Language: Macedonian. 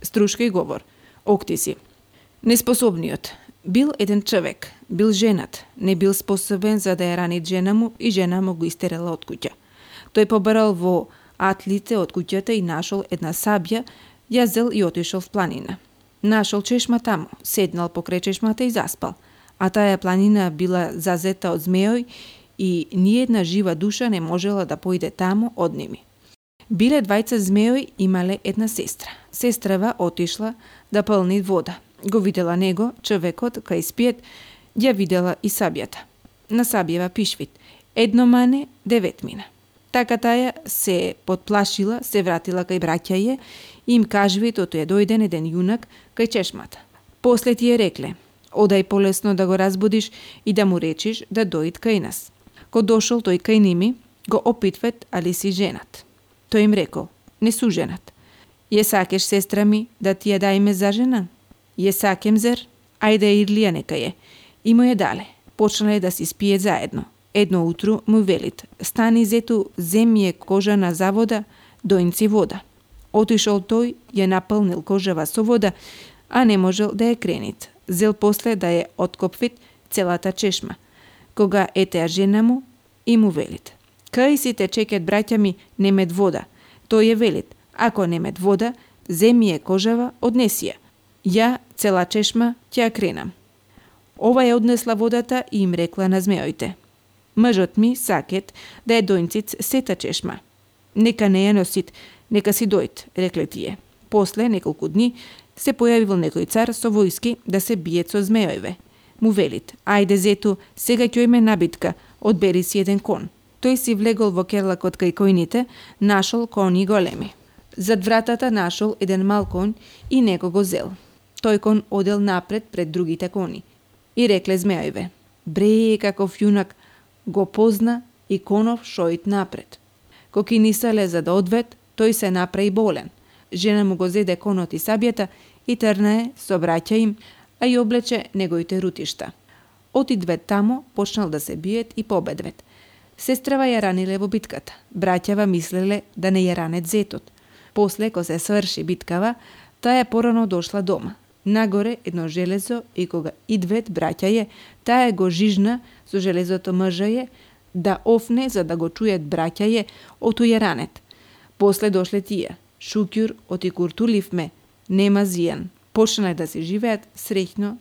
Струшка и говор. Окти си. Неспособниот. Бил еден човек, бил женат, не бил способен за да ја рани жена му и жена му го истерала од куќа. Тој побарал во атлите од куќата и нашол една сабја, ја зел и отишол в планина. Нашол чешма таму, седнал покрај чешмата и заспал, а таа планина била зазета од змеој и ниедна жива душа не можела да поиде таму од ними. Биле двајца змеои, имале една сестра. Сестрава отишла да пълни вода. Го видела него, човекот, кај спиет, ја видела и сабјата. На сабјева пишвит. 1 мане, 9 мина. Така таја се подплашила, се вратила кај браќаје и им кажви тото е дојден еден јунак кај чешмата. После ти е рекле, одај полесно да го разбудиш и да му речиш да дојд кај нас. Ко дошол тој кај ними, го опитвет али си женат. Тој им рекол, не су женат. Је сакеш, сестра ми, да ти ја дајме за жена? Је сакем зер? Ајде ирлија нека е. И му ја дале. Почнале да си спијет заедно. Едно утру му велит, стани зету, земје кожана за вода, дојнци вода. Отишол тој, ја напълнил кожава со вода, а не можел да ја кренит. Зел после да ја откопвит целата чешма. Кога етеа жена му, и му велит. Кај си те чекат браќа ми, немет вода. Тој ја велит, ако немет вода, земје кожава, однеси ја. Ја, цела чешма, ќе ја кренам. Ова ја однесла водата и им рекла на змеоите. Мъжот ми сакет да е дојнциц сета чешма. Нека не ја носит, нека си дојд, рекле тие. После неколку дни се појавил некој цар со војски да се биет со змеојве. Му велит, ајде зету, сега ќе име набитка, одбери си еден кон. Тој си влегол во керлакот кај којните, нашол кони големи. Зад вратата нашол еден мал конј и него го зел. Тој кон одел напред пред другите кони. И рекле змеојве, бре, каков јунак, го позна и конов шоит напред. Ко кинисале за да одвет, тој се направи болен. Жена му го зеде конот и сабјата и трнае со браќа им, а и облече неговите рутишта. Отидвет тамо, почнал да се биет и победвет. Сестрава ја раниле во битката. Браќава мислеле да не ја ранет зетот. После, ко се сврши биткава, таа порано дошла дома. Нагоре едно железо и кога идвет браќаје, таа го жижна со железото мржаје да офне за да го чујат браќаје отуја ранет. После дошле тие. Шукјур, оти куртуливме, нема зијан. Почнале да се живеат среќно